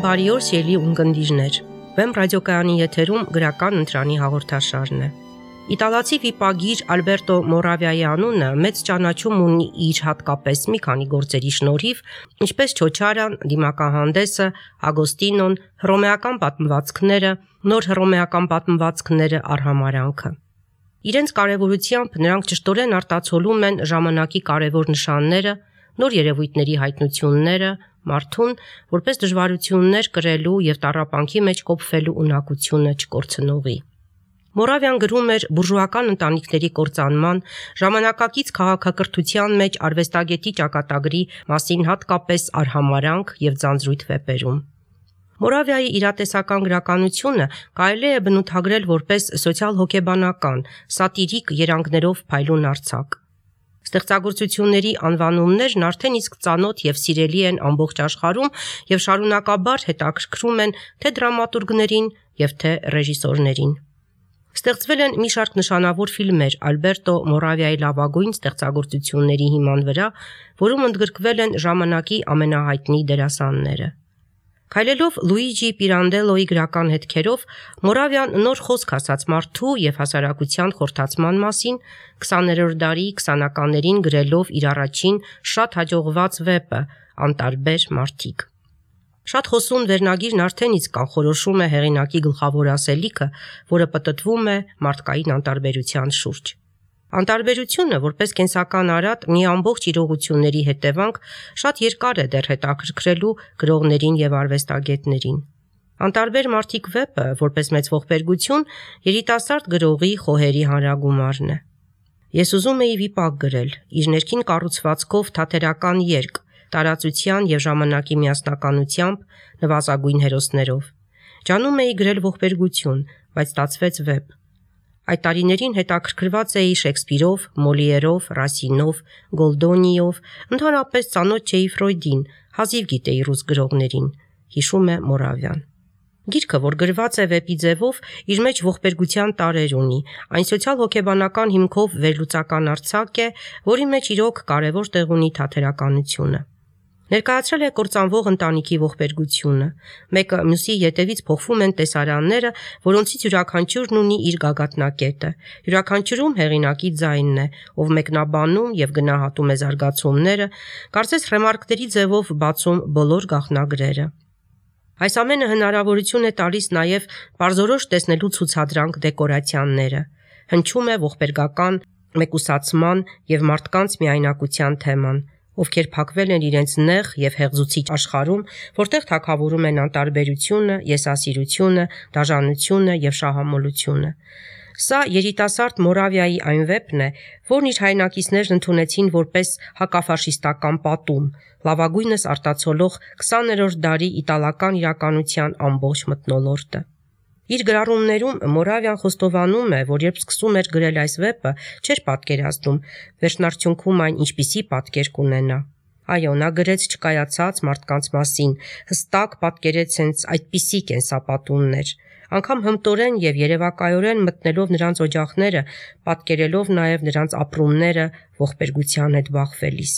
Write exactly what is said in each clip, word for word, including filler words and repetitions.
Բարի օր, սիրելի ունկնդիրներ։ Վեմ ռադիոկայանի եթերում գրական ընտրանի հաղորդաշարն է։ Իտալացի վիպագիր Ալբերտո Մորավիայի անունը մեծ ճանաչում ունի իր հատկապես մի քանի գործերի շնորհիվ, ինչպես Չոչարան, դիմակահանդեսը, Ագոստինոն, հռոմեական պատմվածքները, նոր հռոմեական պատմվածքները, արհամարհանքը։ Իրենց կարևորությամբ նրանք ճշտորեն արտացոլում են ժամանակի կարևոր նշանները, նոր երևույթների հայտնությունները, մարդուն, որպես դժվարություններ կրելու եւ տառապանքի մեջ կոփվելու ունակությունը չկորցնողի։ Մորավիան գրում էր բուրժուական ընտանիքների կործանման, ժամանակակից քաղաքակրթության մեջ արվեստագետի ճակատագրի մասին, հատկապես արհամարհանք եւ ձանձրույթ վեպերում։ Մորավիայի իրատեսական գրականությունը կարելի է բնութագրել որպես սոցիալ-հոգեբանական, սատիրիկ երանգներով փայլուն արձակ։ Ստեղծագործությունների անվանումներն արդեն իսկ ծանոթ եւ սիրելի են ամբողջ աշխարհում եւ շարունակաբար հետաքրքրում են թե դրամատուրգներին եւ թե ռեժիսորներին։ Ստեղծվել են մի շարք նշանավոր ֆիլմեր Ալբերտո Մորավիայի լավագույն ստեղծագործությունների հիման վրա, որում ընդգրկվել են ժամանակի ամենահայտնի դերասանները։ Քայլելով Լուիջի Պիրանդելոյի գրական հետքերով, Մորավիան նոր խոսք ասաց մարդու եւ հասարակության խորհրդացման մասին, քսաներորդ դարի քսանականներին գրելով իր առաջին շատ հաջողված վեպը «Անտարբեր մարդիկ»։ Շատ խոսուն վերնագիրն արդեն իսկ կանխորոշում է հեղինակի գլխավոր ասելիքը, որը պտտվում է մարդկային անտարբերության շուրջ։ Անտարբերությունը, որպես կենսական արատ, մի ամբողջ իրողությունների հետևանք, շատ երկար է դեռ հետաքրքրելու գրողներին եւ արվեստագետներին։ Անտարբեր մարդիկ վեպը, որպես մեծ ողբերգություն, երիտասարդ գրողի խոհերի հանրագումարն է։ Ես ուզում էի վիպակ գրել, իր ներքին կառուցվածքով թատերական երգ, տարածության եւ ժամանակի միասնականությամբ, նվազագույն հերոսներով։ Ջանում էի գրել ողբերգություն, բայց ստացվեց վեպ։ Այդ տարիներին հետաքրքրված էի Շեքսպիրով, Մոլիերով, Ռասինով, Գոլդոնիով, ընդհանրապես ծանոթ չէի Ֆրոյդին, հազիվ գիտեի ռուս գրողներին, հիշում է Մորավիան։ Գիրքը, որ գրված է վեպի ձևով, իր մեջ ողբերգության տարրեր ունի, այն սոցիալ-հոգեբանական հիմքով վերլուծական արձակ է, որի մեջ իրոք կարևոր տեղ ունի թատերականությունը։ Ներկայացրել է կործանվող ընտանիքի ողբերգությունը։ Մեկը մյուսի ետևից փոխվում են տեսարանները, որոնցից յուրաքանչյուրն ունի իր գագաթնակետը։ Յուրաքանչյուրում հեղինակի ձայնն է, ով մեկնաբանում եւ գնահատում է զարգացումները, կարծես ռեմարկների ձևով բացում բոլոր գաղտնագրերը։ Այս ամենը հնարավորություն է տալիս նաև պարզորոշ տեսնելու ցուցադրանք դեկորացիաները։ Հնչում է ողբերգական մեկուսացման եւ մարդկանց միայնակության թեման, ովքեր փակվել են իրենց նեղ եւ հեղձուցիչ աշխարհում, որտեղ թագավորում են անտարբերությունը, եսասիրությունը, դաժանությունը եւ շահամոլությունը։ Սա երիտասարդ Մորավիայի այն վեպն է, որն իր հայրենակիցներն ընդունեցին որպես հակաֆաշիստական պատում, լավագույնս արտացոլող քսաներորդ դարի իտալական իրականության ամբողջ մթնոլորտը։ Իր գրառումներում Մորավիան խոստովանում է, որ երբ սկսում էր գրել այս վեպը, չէր պատկերացնում վերջնարդյունքում այն ինչպիսի պատկեր կունենա։ Այո, նա գրեց չկայացած մարդկանց մասին, հստակ պատկերեց հենց այդպիսի կենսապատումներ, անգամ հմտորեն եւ երևակայորեն մտնելով նրանց օջախները, պատկերելով նաեւ նրանց ապրումները ողբերգության հետ բախվելիս։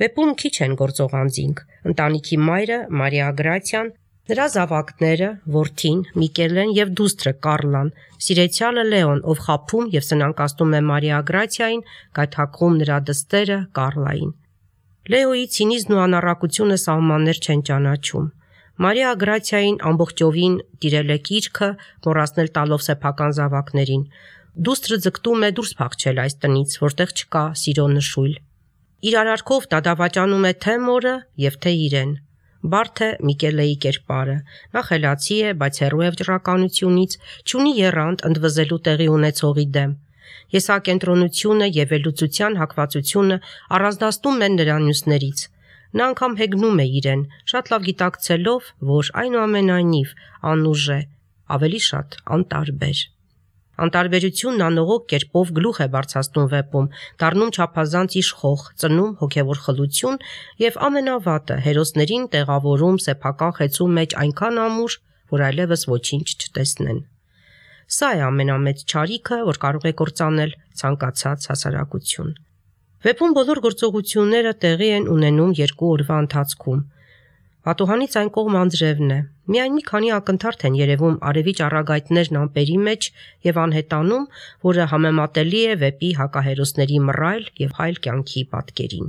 Վեպում քիչ են գործող անձինք՝ ընտանիքի մայրը Մարիա Գրացիան, նրա զավակները, որդին Միկելեն եւ դուստրը Կարլան, սիրեցյալը Լեոն, ով խաբում եւ սնանկացնում է Մարիա Գրացիային, գայթակղում նրա դստերը Կարլային։ Լեոյի ցինիզմն ու անառակությունը սահմաններ չեն ճանաչում։ Մարիա Գրացիային ամբողջովին տիրել է կիրքը, մոռացնել տալով սեփական զավակներին։ Դուստրը ձգտում է դուրս փախչել այս տնից, որտեղ չկա սիրո նշույլ։ Իր արարքով դա դավաճանում է թե մորը եւ թե իրեն։ Բարդ է Միկելեի կերպարը։ Նա խելացի է, բայց հեռու է վճռականությունից, չունի եռանդ ընդվզելու տեղի ունեցողի դեմ։ Եսակենտրոնությունը եւ վերլուծության հակվածությունը առանձնացնում են նրան մյուսներից։ Նա անգամ հեգնում է իրեն, շատ լավ գիտակցելով, որ այնուամենայնիվ անուժ է, ավելի շատ անտարբեր։ Անտարբերությունն անողոք կերպով գլուխ է բարձրացնում վեպում, դառնում չափազանց իշխող, ծնում հոգևոր խլություն եւ ամենավատը հերոսներին տեղավորում սեփական խեցու մեջ այնքան ամուր, որ այլևս ոչինչ չտեսնեն։ Սա է ամենամեծ չարիքը, որ կարող է կործանել ցանկացած հասարակություն։ Վեպում բոլոր գործողությունները տեղի են ունենում երկու օրվա ընթացքում։ Պատուհանից այն կողմ անձրևն է։ Միայն մի քանի ակնթարթ են երևում արևի ճառագայթներն ամպերի մեջ եւ անհետանում, որը համեմատելի է վեպի հակահերոսների մռայլ եւ հայլ կյանքի պատկերին։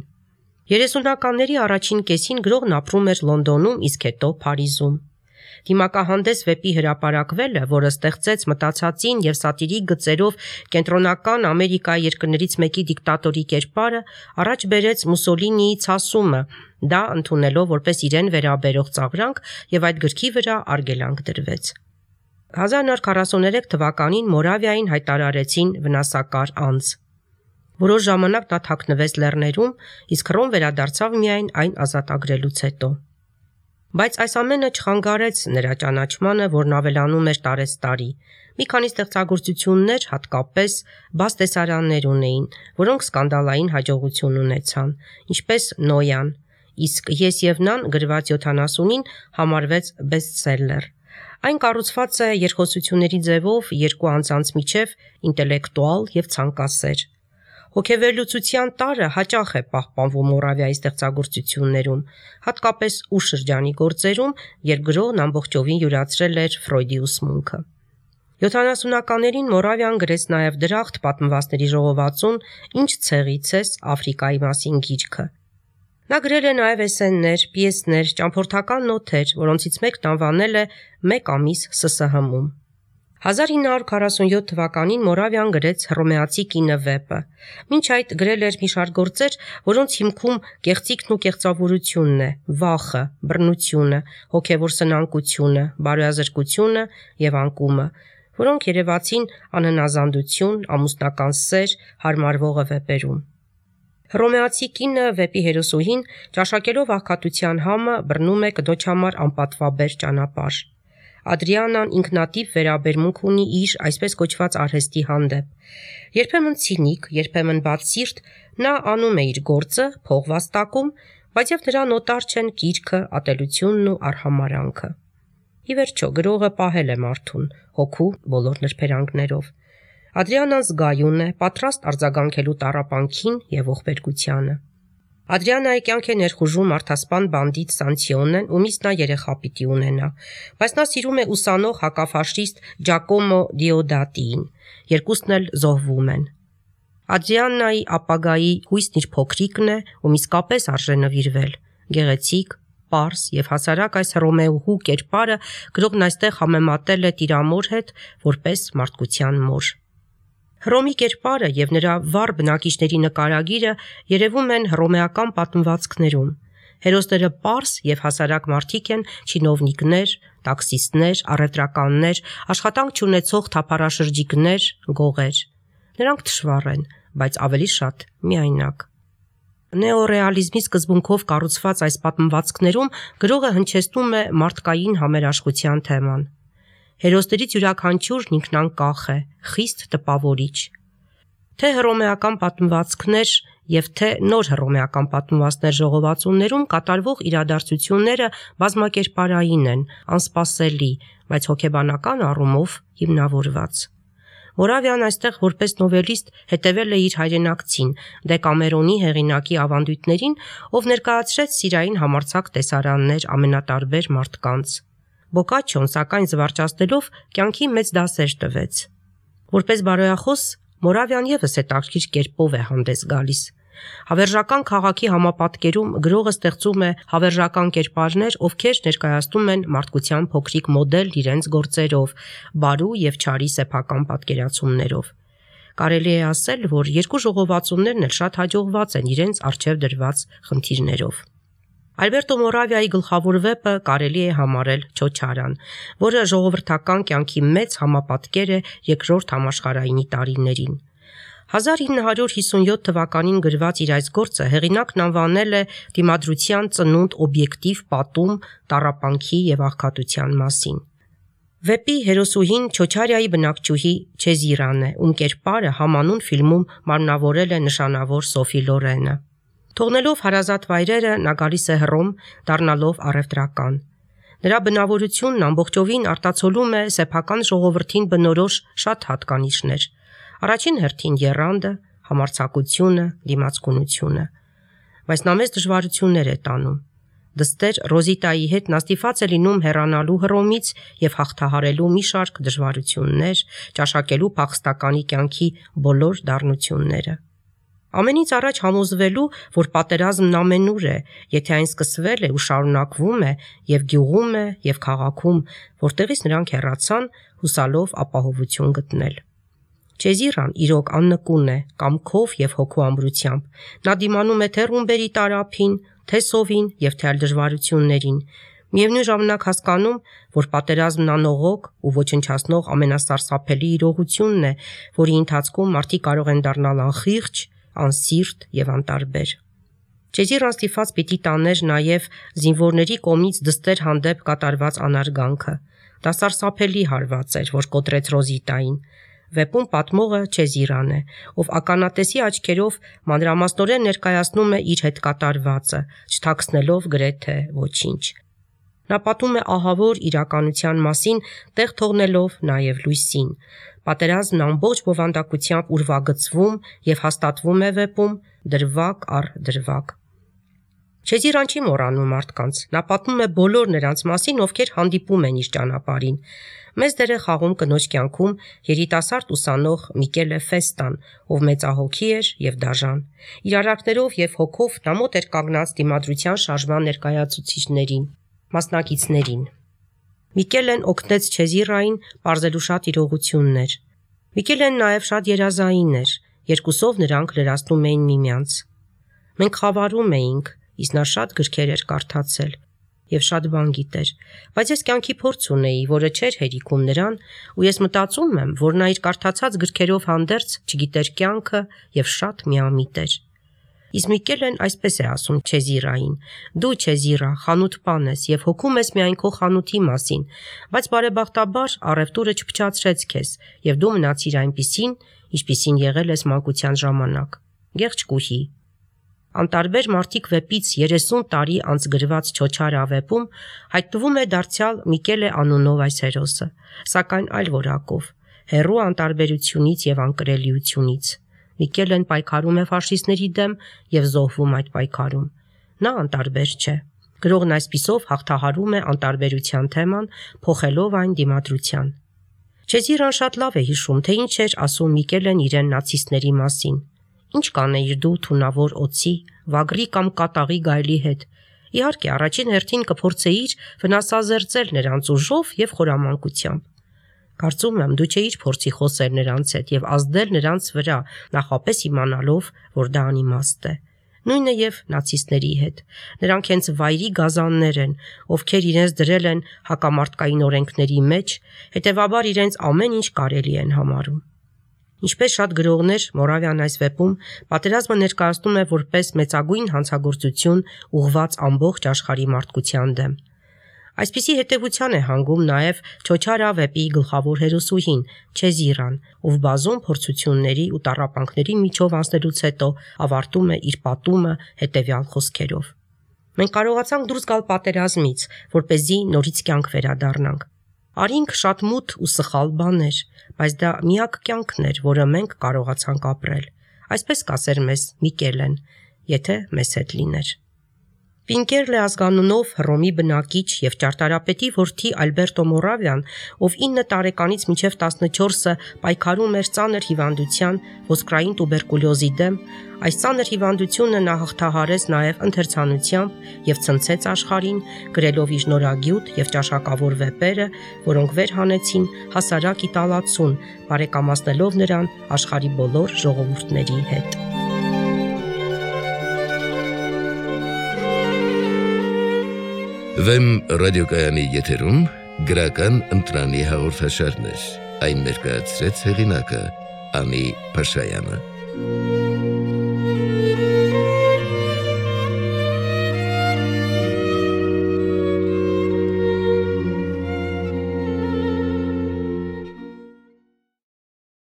երեսունականների առաջին կեսին գրողն ապրում էր Լոնդոնում, իսկ հետո Փարիզում։ Դիմակահանդես վեպի հրապարակվելը, որը ստեղծեց մտածածին եւ սատիրիկ գծերով կենտրոնական Ամերիկայի երկրներից մեկի դիկտատորի կերպարը, առաջ բերեց Մուսոլինիի ցասումը, դա ընդունելով որպես իրեն վերաբերող ծաղրանք եւ այդ գրքի վրա արգելանք դրվեց։ հազար նոր քառասուներեք թվականին Մորավիային հայտարարեցին վնասակար անձ։ Որոշ ժամանակ նա թաքնվեց լեռներում, իսկ Հռոմ վերադարձավ միայն այն ազատագրելուց հետո։ Բայց այս ամենը չխանգարեց նրա ճանաչմանը, որն ավելանում էր տարեցտարի։ Մի քանի ստեղծագործություններ, հատկապես բաց տեսարաններ ունեին, որոնք սկանդալային հաջողություն ունեցան, ինչպես Նոյան, իսկ Ես եւ նան գրված յոթանասունին համարվեց բեսթսելլեր։ Այն կառուցված է երկխոսությունների ձևով երկու անձանց միջև ինտելեկտուալ եւ ցանկասեր։ Հոգեվերլուծության տարը հաճախ է պահպանվում Մորավիայի ստեղծագործություններում, հատկապես ուշ շրջանի գործերում, երբ գրողն ամբողջովին յուրացրել էր Ֆրոյդի ուսմունքը։ յոթանասունականներին Մորավիան գրեց նաև Դրախտ պատմվածքների ժողովածուն «Ինչ ցեղից ես» Աֆրիկայի մասին գիրքը։ Նա գրել է նաև էսսեներ, պիեսներ, ճամփորդական նոթեր, որոնցից մեկն անվանել է «Մեկ ամիս Ս Ս Հ-ում»։ հազար ինը հարյուր քառասունյոթ թվականին Մորավիան գրեց Հռոմեացի կինը վեպը։ Մինչ այդ գրել էր մի շարք գործեր, որոնց հիմքում կեղծիքն ու կեղծավորությունն է, վախը, բռնությունը, հոգևոր սնանկությունը, բարոյազրկությունը եւ անկումը, որոնք երևացին անհնազանդություն, ամուսնական սեր, հարմարվողը վեպերում։ Հռոմեացի կինը վեպի հերոսուհին, ճաշակելով աղքատության համը, բռնում է կնոջ համար անպատվաբեր ճանապարհ։ Ադրիանան ինքնատիպ վերաբերմունք ունի իր այսպես կոչված արհեստի հանդեպ։ Երբեմն ցինիկ, երբեմն բացսիրտ, նա անում է իր գործը, փող վաստակում, բայց եւ նրան օտար չեն կիրքը, ատելությունն ու արհամարանքը։ Ի վերջո գրողը պահել է մարդուն, հոգու բոլոր նրբերանգներով։ Ադրիանան զգայուն է, պատրաստ արձագանքելու տառապանքին եւ ողբերգությանը։ Ադրիանայի կյանք է ներխուժում մարդասպան բանդիտ Սանցիոնեն, ումից նա երեխա պիտի ունենա, բայց նա սիրում է ուսանող հակաֆաշիստ Ջակոմո Դիոդատիին, երկուսն էլ զոհվում են։ Ադրիանայի ապագայի հույսն իր փոքրիկն է, ում իսկապես արժե նվիրվել, գեղեցիկ, պարզ եւ հասարակ այս Հռոմեուհու կերպարը գրողն այստեղ համեմատել է Տիրամոր հետ որպես մարդկության մոր։ Հռոմի կերպարը եւ նրա վառ բնակիչների նկարագիրը երևում են հռոմեական պատմվածքներում։ Հերոսները պարզ եւ հասարակ մարդիկ են, չինովնիկներ, տաքսիստներ, առևտրականներ, աշխատանք չունեցող թափառաշրջիկներ, գողեր։ Նրանք թշվառ են, բայց ավելի շատ միայնակ։ Նեոռեալիզմի սկզբունքով կառուցված այս պատմվածքներում գրողը հնչեցնում է մարդկային համերաշխության թեման։ Հերոսներից յուրաքանչյուրն ինքնանկախ է, խիստ տպավորիչ։ Թե հռոմեական պատմվածքներ եւ թե նոր հռոմեական պատմվածքներ ժողովածուներում կատարվող իրադարձությունները բազմակերպարային են, անսպասելի, բայց հոգեբանական առումով հիմնավորված։ Մորավիան այստեղ որպես նովելիստ հետևել է իր հայրենակցին, Դեկամերոնի հեղինակի ավանդույթներին, ով ներկայացրեց սիրային համարձակ տեսարաններ ամենատարբեր մարդկանց։ Բոկաչոն, սակայն զվարճացնելով, կյանքի մեծ դասեր տվեց։ Որպես բարոյախոս, Մորավիան եւս հետաքրքիր կերպով է հանդես գալիս։ Հավերժական քաղաքի համապատկերում գրողը ստեղծում է հավերժական կերպարներ, ովքեր ներկայացնում են մարդկության փոքրիկ մոդել իրենց գործերով, բարու եւ չարի սեփական պատկերացումներով։ Կարելի է ասել, որ երկու ժողովածուներն էլ շատ հաջողված են իրենց առջև դրված խնդիրներով։ Ալբերտո Մորավիայի գլխավոր վեպը կարելի է համարել Չոչարան, որը ժողովրդական կյանքի մեծ համապատկեր է երկրորդ համաշխարհայինի տարիներին։ հազար ինը հարյուր հիսունյոթ թվականին գրված իր այս գործը հեղինակն անվանել է «Դիմադրության ծնունդ օբյեկտիվ պատում տառապանքի եւ աղքատության մասին»։ Վեպի հերոսուհին Չոչարիայի բնակչուհի Չեզիրան է, ում կերպարը համանուն ֆիլմում մարմնավորել է նշանավոր Սոֆի Լորենը։ Թողնելով հարազատ վայրերը, նա գալիս է Հռոմ, դառնալով առևտրական։ Նրա բնավորությունն ամբողջովին արտացոլում է սեփական ժողովրդին բնորոշ շատ հատկանիշներ։ Առաջին հերթին եռանդը, համարձակությունը, դիմացկունությունը։ Բայց նա մեծ դժվարություններ է տանում։ Դստեր Ռոզիտայի հետ նա ստիպված է լինում հեռանալու Հռոմից եւ հաղթահարելու մի շարք դժվարություններ, ճաշակելու փախստականի կյանքի բոլոր դառնությունները։ Ամենից առաջ համոզվելու, որ պատերազմն ամենուր է, եթե այն սկսվել է ու շարունակվում է եւ գյուղում է եւ քաղաքում, որտեղից նրանք հեռացան, հուսալով ապահովություն գտնել։ Չեզիրան իրոք աննկուն է, կամքով եւ հոգու ամրությամբ։ Նա դիմանում է թե ռումբերի տարափին, թե սովին եւ թե այլ դժվարություններին։ Միևնույն ժամանակ հասկանում, որ պատերազմն անողոք ու ոչնչացնող ամենասարսափելի իրողությունն է, որի ընթացքում մարդիկ կարող են դառնալ անխիղճ, անսիրտ եւ անտարբեր։ Չեզիրան ստիպված պիտի տաներ նաեւ զինվորների կողմից դստեր հանդեպ կատարված անարգանքը։ Դա սարսափելի հարված էր, որ կոտրեց Ռոզիտային։ Վեպում պատմողը Չեզիրան է, ով ականատեսի աչքերով մանրամասնորեն ներկայացնում է իր հետ կատարվածը, չթաքցնելով գրեթե ոչինչ։ Նա պատում է ահավոր իրականության մասին, տեղ թողնելով նաև լույսին։ Պատերազմն ամբողջ բովանդակությամբ ուրվագծվում եւ հաստատվում է վեպում դրվագ առ դրվագ։ Չեզիրան չի մոռանում մարդկանց, նա պատմում է բոլոր նրանց մասին, ովքեր հանդիպում են իր ճանապարհին։ Մեծ դեր է խաղում կնոջ կյանքում երիտասարդ ուսանող Միկելե Ֆեստան, ով մեծահոգի էր եւ դաժան։ Իր արարքներով եւ հոգով նա մոտ էր կանգնած դիմադրության շարժման ներկայացուցիչներին, մասնակիցներին։ Միկելեն օգնեց Չեզիրային պարզելու շատ իրողություններ։ Միկելեն նաեւ շատ երազային էր, երկուսով նրանք լրացնում էին միմյանց։ Մենք խավարում էինք, իսկ նա շատ գրքեր էր կարդացել եւ շատ բան գիտեր, բայց ես կյանքի փորձ ունեի, որը չէր հերիքում նրան, ու ես մտածում եմ, որ նա իր կարդացած գրքերով հանդերձ չգիտեր կյանքը եւ շատ միամիտ էր։ Իսկ Միկելեն այսպես է ասում Չեզիրային. «Դու Չեզիրա, խանութ-պան ես եւ հոգում ես միայն քո խանութի մասին, բայց բարեբախտաբար առևտուրը չփչացրեց քեզ եւ դու մնացիր այնպիսին, ինչպիսին եղել ես մանկության ժամանակ։ Գեղչկուհի»։ Անտարբեր մարդիկ վեպից երեսուն տարի անց գրված Չոչարը վեպում հայտնվում է դարձյալ Միկելե անունով այս հերոսը, սակայն այլ որակով, հեռու անտարբերությունից եւ անկրելիությունից։ Միկելեն պայքարում է ֆաշիստների դեմ եւ զոհվում այդ պայքարում։ Նա անտարբեր չէ։ Գրողն այսպիսով հաղթահարում է անտարբերության թեման, փոխելով այն դիմադրության։ Չեզիրան շատ լավ է հիշում, թե ինչ էր ասում Միկելեն իրեն նացիստների մասին։ Ինչ կանեիր դու թունավոր օծի, վագրի կամ կատաղի գայլի հետ։ Իհարկե, առաջին հերթին կփորձեիր վնասազերծել նրանց ուժով եւ խորամանկությամբ։ Կարծում եմ, դու չէիր փորձի խոսել նրանց հետ եւ ազդել նրանց վրա, նախապես իմանալով, որ դա անիմաստ է։ Նույնը եւ նացիստների հետ։ Նրանք հենց վայրի գազաններ են, ովքեր իրենց դրել են հակամարտկային օրենքների մեջ, հետեւաբար իրենց ամեն ինչ կարելի են համարում։ Ինչպես շատ գրողներ, Մորավյան այս վեպում պատերազմը ներկայացնում է որպես մեծագույն հանցագործություն ուղղված ամբողջ աշխարհի մարդկության դեմ։ Այսպիսի հետևության է հանգում նաև Չոչարա վեպի գլխավոր հերոսուհին Չեզիրան, ով բազում փորձությունների ու տառապանքների միջով անցնելուց հետո ավարտում է իր պատումը հետևյալ խոսքերով. Մենք կարողացանք դուրս գալ պատերազմից, որպեսզի նորից կյանք վերադառնանք։ Արինք շատ մութ ու սխալ բաներ, բայց դա միակ կյանքն էր, որը մենք կարողացանք ապրել։ Այսպես կասեր մեզ Միկելեն, եթե մեզ հետ լիներ։ Պինկերլե ազգանունով Հռոմի բնակիչ եւ ճարտարապետի որդի Ալբերտո Մորավյան, ով ինը տարեկանից մինչև տասնչորսը պայքարում էր ծանր հիվանդության ոսկրային տուբերկուլյոզի դեմ, այս ծանր հիվանդությունը նա հաղթահարեց նաեւ ընթերցանությամբ եւ ցնցեց աշխարհին, գրելով իր նորագյուտ եւ ճաշակավոր վեպերը, որոնք վեր հանեցին հասարակ իտալացուն, բարեկամացնելով նրան աշխարհի բոլոր ժողովուրդների հետ։ Վեմ ռադիոկայանի եթերում գրական ընտրանի հաղորդաշարներ, այն ներկայացրեց հեղինակը Անի Փաշայանը։